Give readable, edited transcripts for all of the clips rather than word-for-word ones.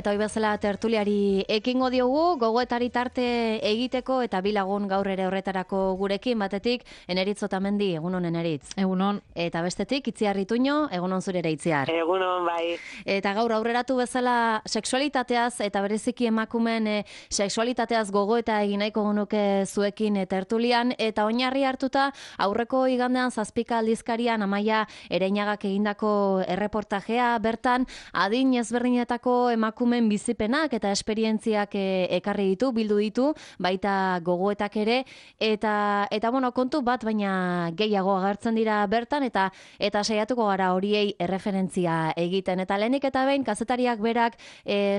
Eta hoi bezala tertuliari ekingo diogu, gogoetari tarte egiteko eta bi lagun gaur ere horretarako gurekin batetik, Eneritz Otamendi, egunon Eneritz. Egunon. Eta bestetik, Itziar Ituño, egunon zure ere Itziar. Egunon bai. Eta gaur aurreratu bezala sexualitateaz eta bereziki emakumeen sexualitateaz gogoeta egin nahiko genuke zuekin tertulian, eta oinarri hartuta aurreko igandean Zazpika aldizkarian Amaia Ereñagak egindako erreportajea, bertan adin ezberdinetako emakumeen bizipenak eta esperientziak ekarri ditu, bildu ditu, baita gogoetak ere, eta bueno, kontu bat baina gehiago agertzen dira bertan, eta saiatuko gara horiei erreferentzia egiten. Eta lehenik eta behin, kazetariak berak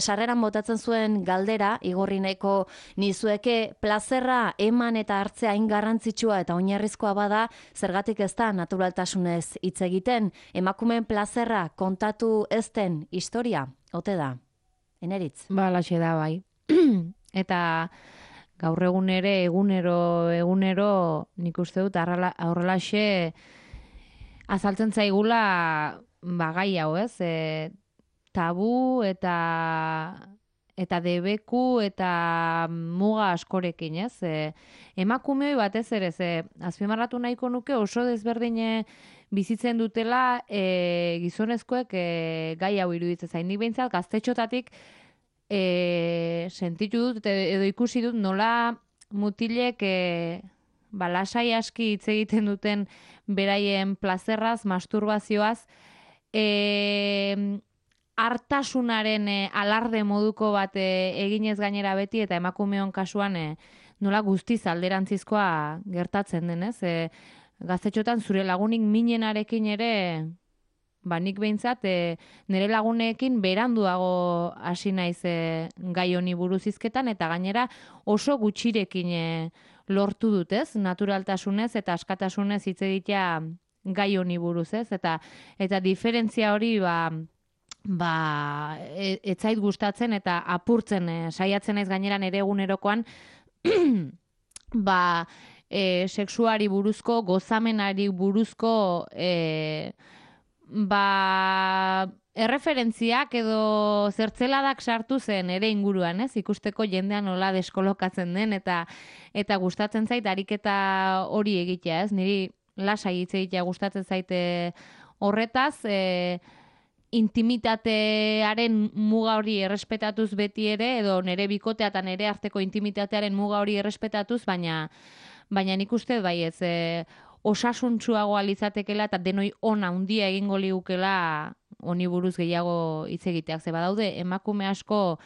sarreran botatzen zuen galdera, igorri nahiko nizueke, plazerra eman eta hartzea hain garrantzitsua eta oinarrizkoa bada, zergatik ez da naturaltasunez hitz egiten, emakumeen plazerra kontatu ez den historia, ote da? Eneritz. Laxe da bai. Eta gaur egun ere, egunero, nik uste dut, horrelaxe azaltzen zaigula gai hau, ez? Tabu eta debeku eta muga askorekin, ez? Emakumeoi batez ere, azpimarratu nahiko nuke oso desberdine bizitzen dutela gizonezkoek gai hau iruditzen zain. Nik behintzat gaztetxotatik sentitu dut edo ikusi dut nola mutilek lasai aski hitz egiten duten beraien plazerraz, masturbazioaz, hartasunaren alarde moduko bat eginez gainera beti, eta emakumeon kasuan nola guztiz alderantzizkoa gertatzen denez. Gaztetxotan zure lagunik minenarekin ere, nik behintzat, nire lagunekin beranduago hasi naiz gai honi buruz hizketan, eta gainera oso gutxirekin lortu dut, ez? Naturaltasunez eta askatasunez hitz egitea gai honi buruz, ez? Eta diferentzia hori ez zait gustatzen eta apurtzen saiatzen naiz gainera nire egunerokoan sexuari buruzko, gozamenari buruzko erreferentziak edo zertzeladak sartu zen ere inguruan, ez? Ikusteko jendean nola deskolokatzen den eta gustatzen zait ariketa hori egitea, ez? Niri lasai hitz egitea gustatzen zaite horretaz, intimitatearen muga hori errespetatuz beti ere, edo nire bikotea eta nire arteko intimitatearen muga hori errespetatuz, baina nik uste bai ez, osasuntsuagoa lizatekela eta denoi ona handia egingo ligukela honi buruz gehiago hitz egiteak. Ze badaude emakume asko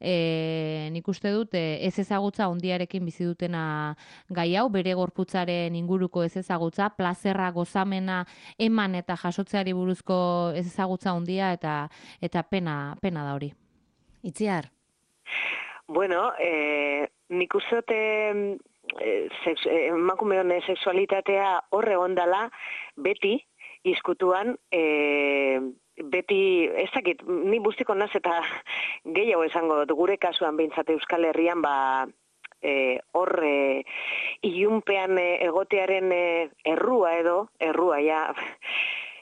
nik uste dut ez ezagutza handiarekin bizi dutena gai hau, bere gorputzaren inguruko ez ezagutza, plazerra, gozamena, eman eta jasotzeari buruzko ez ezagutza handia eta pena da hori. Itziar? Bueno, nik uste dut emakumeon sexualitatea horre ondala beti izkutuan, beti, ez dakit, ni bustiko naz eta gehiago esango dut, gure kasuan behintzat Euskal Herrian horre ilunpean egotearen errua,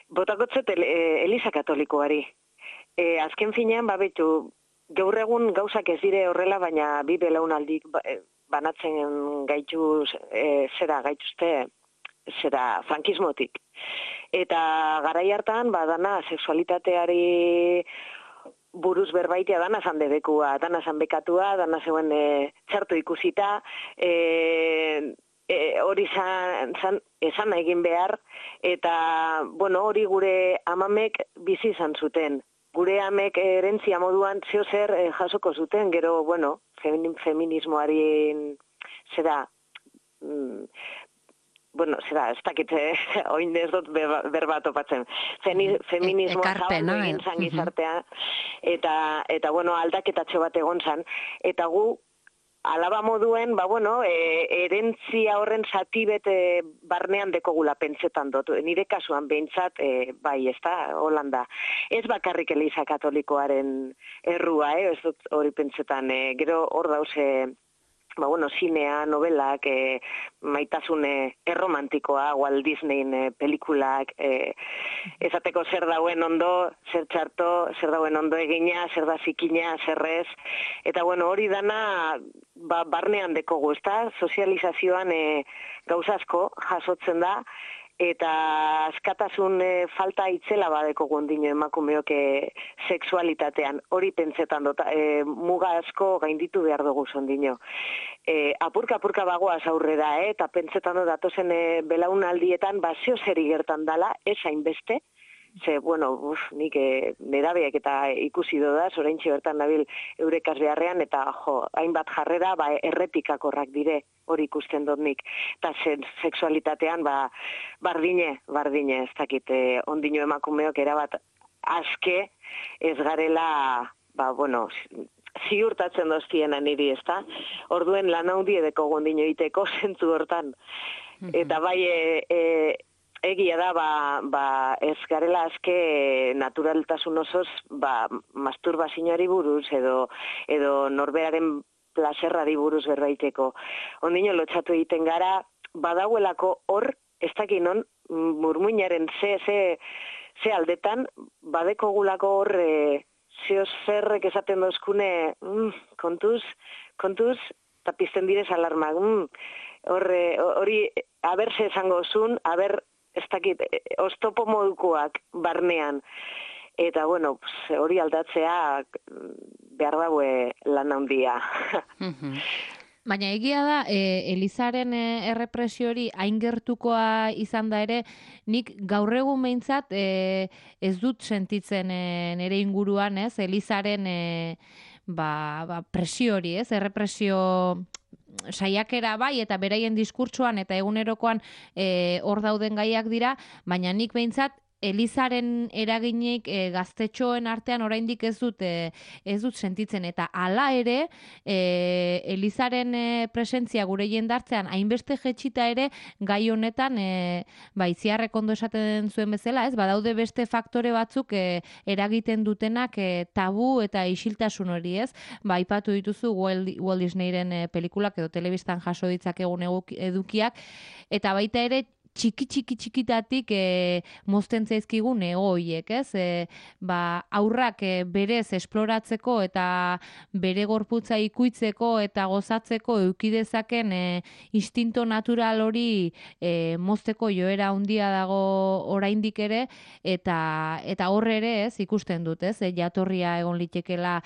botakotzet Eliza Katolikoari. Azken finean, betu, gaur egun gauzak ez dire horrela, baina bi belaunaldik banatzen gaituzte frankismotik. Eta garai hartan, dana sexualitateari buruz berbaitea dana zan debekua, dana zan bekatua, dana zeuen txartu ikusita, hori esan egin behar, eta hori gure amamek bizi izan zuten. Gure amek erentzia moduan zeo zer jasoko zuten, gero, feminismoari ez dakit, oin ez dut berba topatzen. Feminismoa zaurdu egin zan gizartea, eta aldaketatxo bat egon zan, eta gu alaba moduen, erentzia horren zati bete barnean dekogula pentsetan dut. Nire kasuan behintzat, bai, ez da, Holanda. Ez bakarrik Eliza Katolikoaren errua, ez dut hori pentsetan. Gero hor dauze zinea, novelak, maitasune erromantikoa, Walt Disneyn pelikulak, ezateko zer dauen ondo, zer txarto, zer dauen ondo egina, zer da zikina, zer ez, eta hori dana barnean dekogu, ezta? Sozializazioan gauza asko jasotzen da, eta askatasun falta itzela badeko gondino emakumeok sexualitatean, hori pentsetan dut, muga asko gainditu behar dugu zondino. Apurka bagoaz aurrera, eta pentsetan dut datozen belaunaldietan, zeo zeri gertan dala, ez hainbeste, ze, nik nerabeak eta ikusi dodaz, oraintxe bertan nabil eurekaz beharrean, eta hainbat jarrera errepikakorrak dire, hori ikusten dut nik. Eta sexualitatean, bardine, ez dakit, ondino emakumeok erabat aske ez garela, ziurtatzen doztiena niri, ez da? Orduen lan handi edeko gondino iteko zentzu hortan. Eta egia da, ez garela azke naturaltasun osoz, masturbazioari buruz edo norberaren plaserrari buruz berbaiteko. Ondino lotxatu egiten gara, badauelako hor, ez dakinon, murmuinaren ze aldetan, badekogulako hor, zeo zerrek esaten dozkune, kontuz, eta pizten direz alarmak, hori, aberse esango zun, ez dakit, oztopo modukoak barnean. Eta, hori aldatzea behar daue lan handia. Baina egia da, Elizaren errepresio hori hain gertukoa izan da ere, nik gaur egun behintzat ez dut sentitzen nire inguruan, ez? Elizaren presio hori, ez? Errepresio saiakera bai, eta beraien diskurtsoan eta egunerokoan hor dauden gaiak dira, baina nik behintzat Elizaren eraginik gaztetxoen artean oraindik ez dut sentitzen, eta hala ere Elizaren presentzia gure jendartzean hainbeste jetxita ere gai honetan Itziarrek ondo esaten zuen bezala, ez? Badaude beste faktore batzuk eragiten dutenak tabu eta isiltasun hori, ez? Aipatu dituzu Walt Disneyren pelikulak edo telebistan jaso ditzakegun edukiak, eta baita ere txikitatik mozten zaizkigun egoiek, ez? Aurrak berez esploratzeko eta bere gorputza ikuitzeko eta gozatzeko eukidezaken instinto natural hori mozteko joera handia dago oraindik ere, eta horre ere, ez, ikusten dut, ez? Jatorria egon litekela,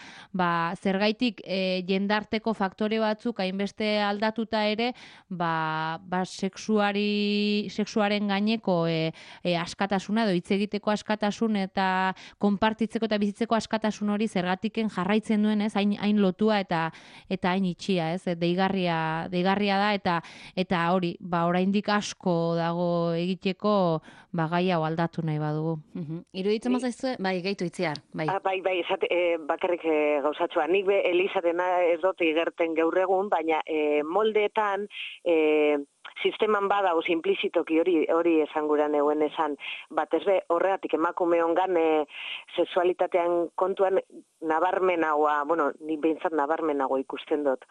zergaitik jendarteko faktore batzuk hainbeste aldatuta ere, sexuaren gaineko askatasuna edo hitz egiteko askatasun eta konpartitzeko eta bizitzeko askatasun hori zergatiken jarraitzen duen, ez? Hain lotua eta hain itxia, ez? Deigarria da eta hori, oraindik asko dago egiteko gai hau aldatu nahi badugu. Iruditzen mazaizu, gehitu Itziar, bai. Bakarrik gauzatxoa. Nik Elizarena ez dut igerten gaur egun, baina moldeetan sisteman badago simplizitoki hori esan guran euen esan, batez be horregatik emakume ongan sexualitatean kontuan nabarmenagoa, nik behintzat nabarmenagoa ikusten dut.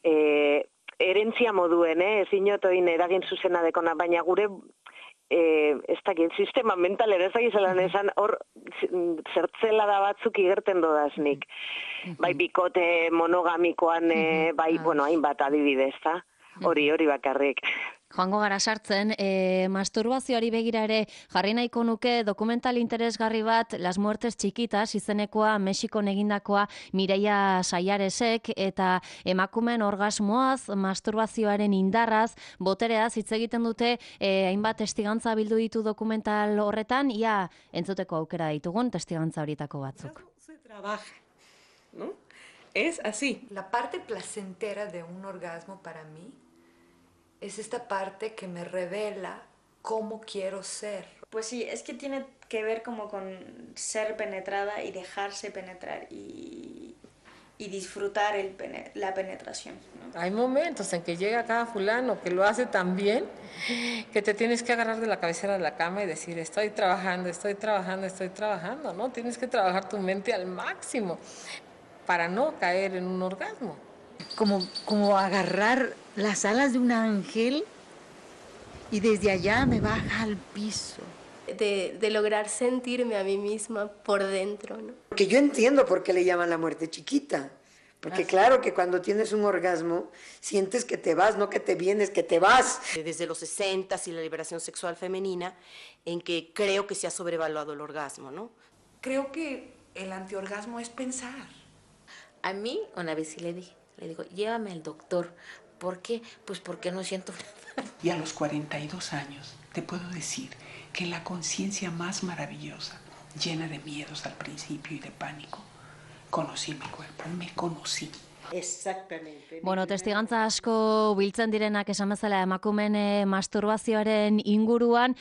Herentzia moduen, ez inotoin eragin zuzena dekona, baina gure ez dakit, sistema mentalera ez dakit zelan esan, hor zertzela da batzuk igerten dodaznik. Bai bikote monogamikoan, hainbat adibidez, da? Hori bakarrik. Joango gara sartzen, masturbazioari begira ere jarri nahiko nuke dokumental interesgarri bat Las Muertes Chiquitas izenekoa Mexikon egindakoa Mireia Saiaresek, eta emakumeen orgasmoaz, masturbazioaren indarraz, botereaz hitz egiten dute, hainbat testigantza bildu ditu dokumental horretan, ia entzuteko aukera ditugun testigantza horietako batzuk. Se trabaja, ¿no? Es así. La parte placentera de un orgasmo para mí es esta parte que me revela cómo quiero ser. Pues sí, es que tiene que ver como con ser penetrada y dejarse penetrar y disfrutar la penetración, ¿no? Hay momentos en que llega cada fulano que lo hace tan bien que te tienes que agarrar de la cabecera de la cama y decir, estoy trabajando, ¿no? Tienes que trabajar tu mente al máximo para no caer en un orgasmo. como agarrar las alas de un ángel y desde allá me baja al piso. De lograr sentirme a mí misma por dentro, ¿no? Porque yo entiendo por qué le llaman la muerte chiquita. Porque claro que cuando tienes un orgasmo, sientes que te vas, no que te vienes, que te vas. Desde los 60 y la liberación sexual femenina, en que creo que se ha sobrevaluado el orgasmo, ¿no? Creo que el antiorgasmo es pensar. A mí, una vez sí le digo, llévame al doctor. ¿Por qué? Pues porque no siento nada. Y a los 42 años te puedo decir que la conciencia más maravillosa, llena de miedos al principio y de pánico, conocí mi cuerpo, me conocí. Exactamente. Bueno, testigantza asko biltzen direnak esan bezala emakumeen masturbazioaren inguruan,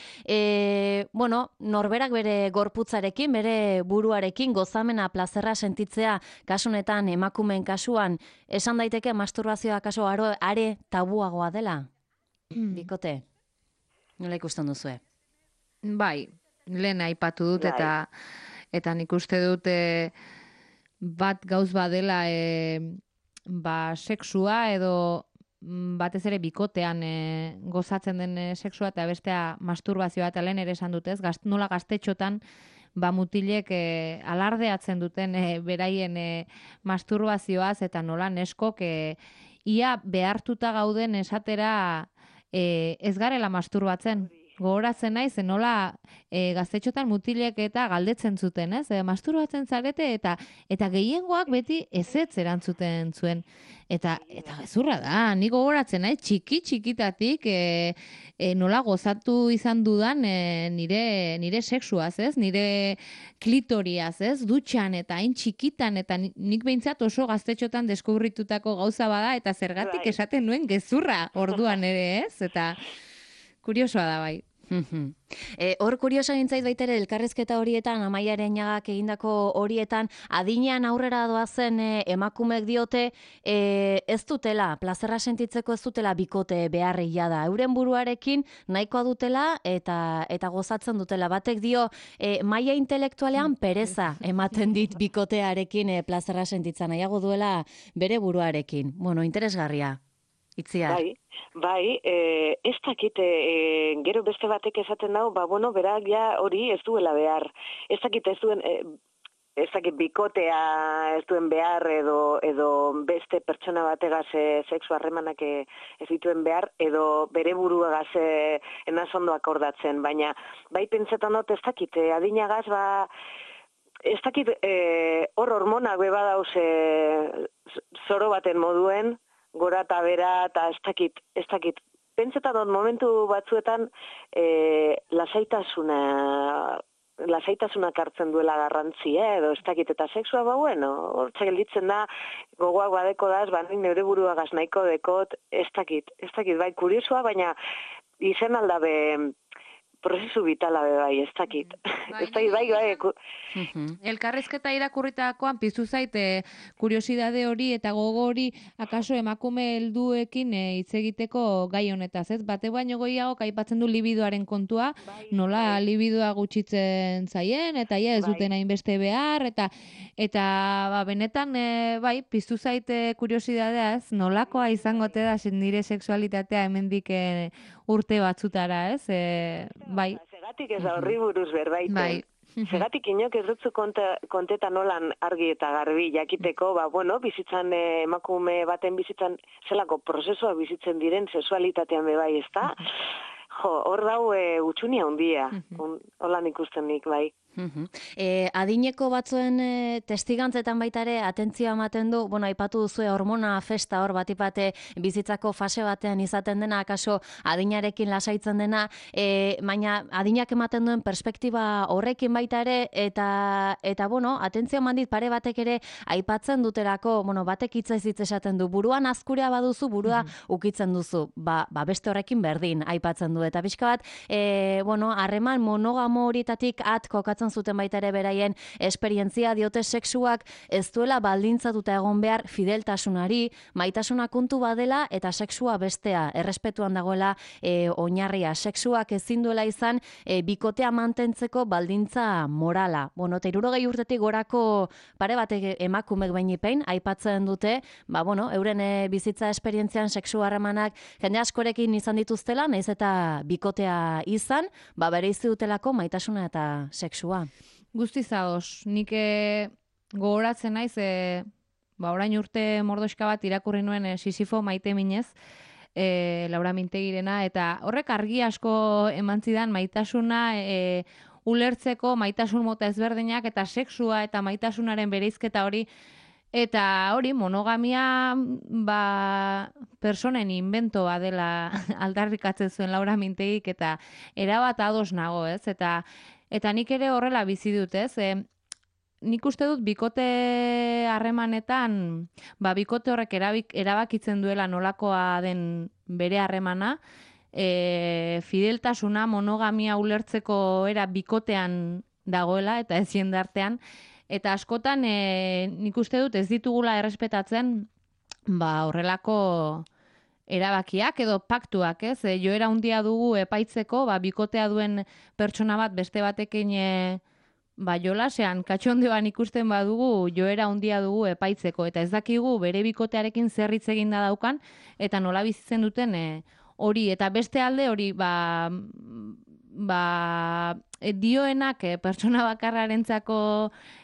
norberak bere gorputzarekin, bere buruarekin gozamena, plazerra sentitzea, kasunetan emakumeen kasuan, esan daiteke masturbazioa kasu are tabuagoa dela? Bikote, nola ikusten duzue? Bai, lehen aipatu dut eta nik uste dute bat gauz badela sexua edo batez ere bikotean gozatzen den sexua eta bestea masturbazioa eta lehen ere esan dutez, nola gaztetxotan mutilek alardeatzen duten beraien masturbazioaz eta nola neskok ia behartuta gauden esatera ez garela masturbatzen. Gogoratzen naiz, nola gaztetxotan mutilek eta galdetzen zuten, ez? Masturbatzen zarete eta gehiengoak beti ezetz erantzuten zuen. Eta gezurra da, ni gogoratzen naiz, txikitatik nola gozatu izan dudan nire sexuaz, ez? Nire klitoriaz, ez? Dutxan eta hain txikitan, eta nik behintzat oso gaztetxotan deskubritutako gauza bada, eta zergatik esaten nuen gezurra orduan ere, ez? Eta kuriosoa da bai. Hor kuriosa gintzait baitere elkarrizketa horietan, Amaia Ereñagak egindako horietan, adinean aurrera doazen emakumek diote ez dutela, plazerra sentitzeko ez dutela bikote beharria da. Euren buruarekin nahikoa dutela eta gozatzen dutela. Batek dio, maila intelektualean pereza ematen dit bikotearekin plazerra sentitzen nahiago duela bere buruarekin. Bueno, interesgarria. Itziar. Bai, ez dakite, gero beste batek esaten dau, berak ja hori ez duela behar. Ez dakite ez dakit bikotea ez duen behar edo beste pertsona bategaz sexu harremanak ez dituen behar, edo bere buruagaz enazondo akordatzen, baina bai pentsetan dut ez dakit, adinagaz ez dakit hor hormonak beba dauz zoro baten moduen, gora eta bera, eta ez dakit. Pentsetan dut momentu batzuetan lasaitasunak hartzen duela garrantzia, edo ez dakit, eta sexua hortza gelditzen da, gogoak badeko daz, nik neure buruagaz nahiko dekot, ez dakit, bai, kuriosoa, baina izen aldabe prozesu vitala bai, ez dakit. Ez dakit, bai. Elkarrezketa irakurritakoan piztu zait kuriosidade hori eta gogo hori akaso emakume helduekin hitz egiteko gai honetaz, ez? Bate baino gehiago aipatzen du libidoaren kontua, nola libidoa gutxitzen zaien eta ez duten hainbeste behar eta benetan bai, piztu zait kuriosidadeaz, nolakoa izango te da nire sexualitatea hemendik urte batzutara, ez? Bai. Segatik ez da horri buruz berbaiten. Bai. Segatik inok ez dutzu konteta nolan argi eta garbi jakiteko, bizitzan emakume baten bizitzan zelako prozesua bizitzen diren sexualitatean bebai, ez da? Hor dau utxunia handia, holan ikusten nik, bai. Adineko batzuen testigantzetan baita ere atentzioa ematen du, aipatu duzue hormona festa hor batipate bizitzako fase batean izaten dena, akaso adinarekin lasaitzen dena, baina adinak ematen duen perspektiba horrekin baita ere, eta atentzioa mandit pare batek ere aipatzen duterako, batek hitz esaten du, buruan azkurea baduzu, burua ukitzen duzu, beste horrekin berdin aipatzen du, eta pixka bat, harreman monogamo horietatik kokatzen aipatzen zuten baita ere beraien esperientzia, diote sexuak ez duela baldintzatuta egon behar fideltasunari, maitasuna kontu badela eta sexua bestea, errespetuan dagoela oinarria. Sexuak ezin duela izan bikotea mantentzeko baldintza morala. Bueno, eta 60 urtetik gorako pare batek emakumek behinepein aipatzen dute, euren bizitza esperientzian sexu harremanak jende askorekin izan dituztela, nahiz eta bikotea izan, bereizi dutelako maitasuna eta sexua. Guztiz ados, nik gogoratzen naiz, orain urte mordoxka bat irakurri nuen Sisifo maite minez, Laura Mintegirena, eta horrek argi asko eman zidan maitasuna ulertzeko, maitasun mota ezberdinak eta sexua eta maitasunaren bereizketa hori, eta hori monogamia personen inventoa dela aldarrikatzen zuen Laura Mintegik, eta erabat ados nago, ez? Eta nik ere horrela bizi dut, ez? Nik uste dut bikote harremanetan, bikote horrek erabakitzen duela nolakoa den bere harremana, fideltasuna, monogamia ulertzeko era bikotean dagoela eta ez jendartean, eta askotan nik uste dut ez ditugula errespetatzen horrelako erabakiak edo paktuak, ez? Joera handia dugu epaitzeko, bikotea duen pertsona bat beste batekin jolasean, katxondeoan ikusten badugu, joera handia dugu epaitzeko, eta ez dakigu bere bikotearekin zer hitz eginda daukan, eta nola bizitzen duten hori, eta beste alde hori, dioenak pertsona bakarrarentzako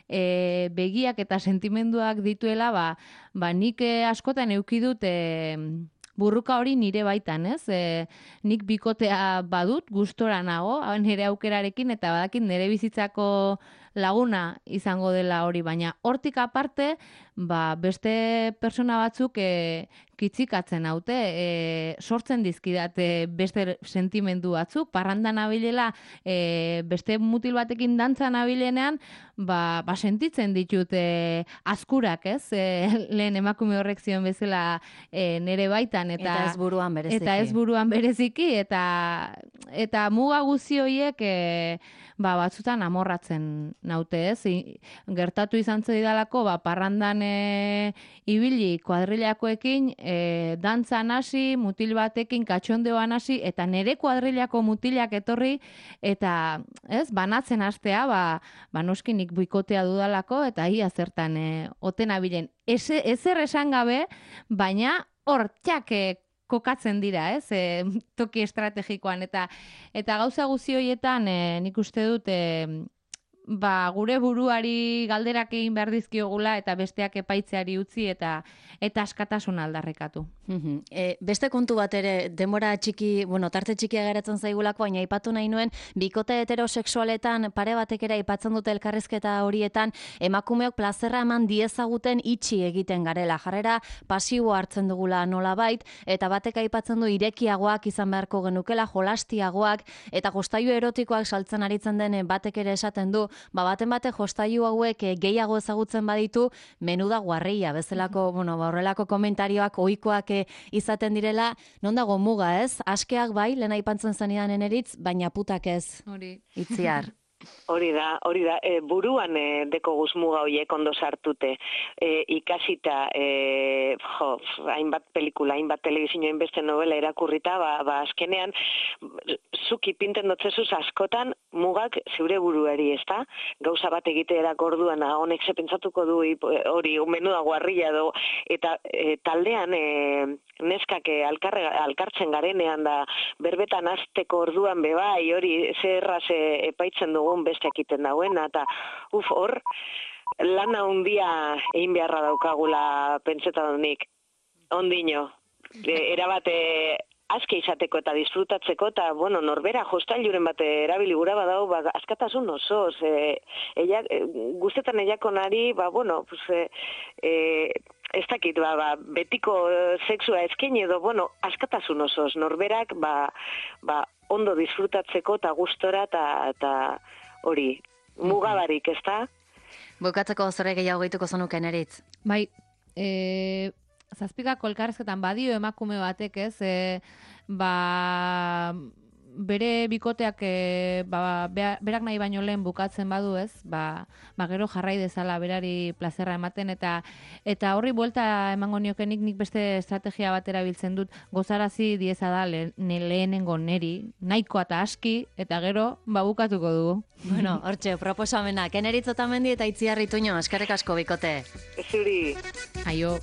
begiak eta sentimenduak dituela, nik askotan eduki dut burruka hori nire baitan, ez? Nik bikotea badut, gustora nago, nire aukerarekin, eta badakit nire bizitzako laguna izango dela hori, baina hortik aparte, beste persona batzuk kitzikatzen haute, sortzen dizkidate beste sentimendu batzuk, parrandan abilela, beste mutil batekin dantzan abilenean, sentitzen ditut azkurak, ez? Lehen emakume horrek zion bezala nire baitan, eta ez buruan bereziki. Eta ez buruan bereziki, eta muga guzi horiek batzutan amorratzen naute, ez? Gertatu izan zedidalako, parrandan ibili kuadrilakoekin, dantzan hasi, mutil batekin katxondeoan hasi, eta nire kuadrilako mutilak etorri, eta banatzen hastea, noski nik bikotea dudalako, eta ia zertan oten abilen. Ezer esan gabe, baina hor kokatzen dira, ez? Toki estrategikoan, eta gauza guzi horietan nik uste dut gure buruari galderak egin behar dizkiogula eta besteak epaitzeari utzi eta askatasun aldarrekatu. Beste kontu bat ere, denbora txiki, tarte txikia geratzen zaigulako, baina aipatu nahi nuen, bikote heterosexualetan pare batek ere aipatzen dute elkarrizketa horietan, emakumeok plazerra eman diezaguten itxi egiten garela. Jarrera pasibo hartzen dugula nolabait, eta batek aipatzen du irekiagoak izan beharko genukela, jolastiagoak, eta jostailu erotikoak saltzen aritzen den batek ere esaten du, baten bate jostailu hauek gehiago ezagutzen baditu, menuda guarria, bezalako, horrelako komentarioak ohikoak izaten direla, non dago muga, ez? Askeak bai, lehen aipatzen zenidan eneritz, baina putak ez. Hori. Itziar. Hori da, buruan deko guzmuga horiek ondo sartute, ikasita, hainbat pelikula, hainbat telebizio, hainbeste novela irakurrita, azkenean, zuk ipinten dotzezuz askotan mugak zeure buruari, ez da? Gauza bat egiteerak orduan, honek zepentsatuko du hori, menuda guarrilla do, eta taldean neskak alkartzen garenean da, berbetan azteko orduan bebai, hori zerraz epaitzen dugu besteak iten dagoena, eta hor, lana handia egin beharra daukagula pentsetan nik, ondino, erabate aske izateko eta disfrutatzeko, eta, norbera jostailuren bat erabili gura badau, askatasun osoz, guztetan eiakonari, ez dakit, betiko sexua ezken edo, askatasun osoz, norberak, ondo disfrutatzeko eta gustora eta hori, mugabarik, ez da? Bukatzeko zure gehiago gehituko zenuken eritz. Bai, zazpikako elkarrezketan badio emakume batek, ez, bere bikoteak berak nahi baino lehen bukatzen badu ez, gero jarrai dezala berari plazerra ematen, eta horri buelta emango niokenik nik beste estrategia bat erabiltzen dut, gozarazi diezada lehenengo neri, nahikoa eta aski, eta gero bukatuko dugu. Bueno, hortxe, proposamenak, Eneritz Otamendi eta Itziar Ituño, eskerrik asko bikote. Zuri. Aio.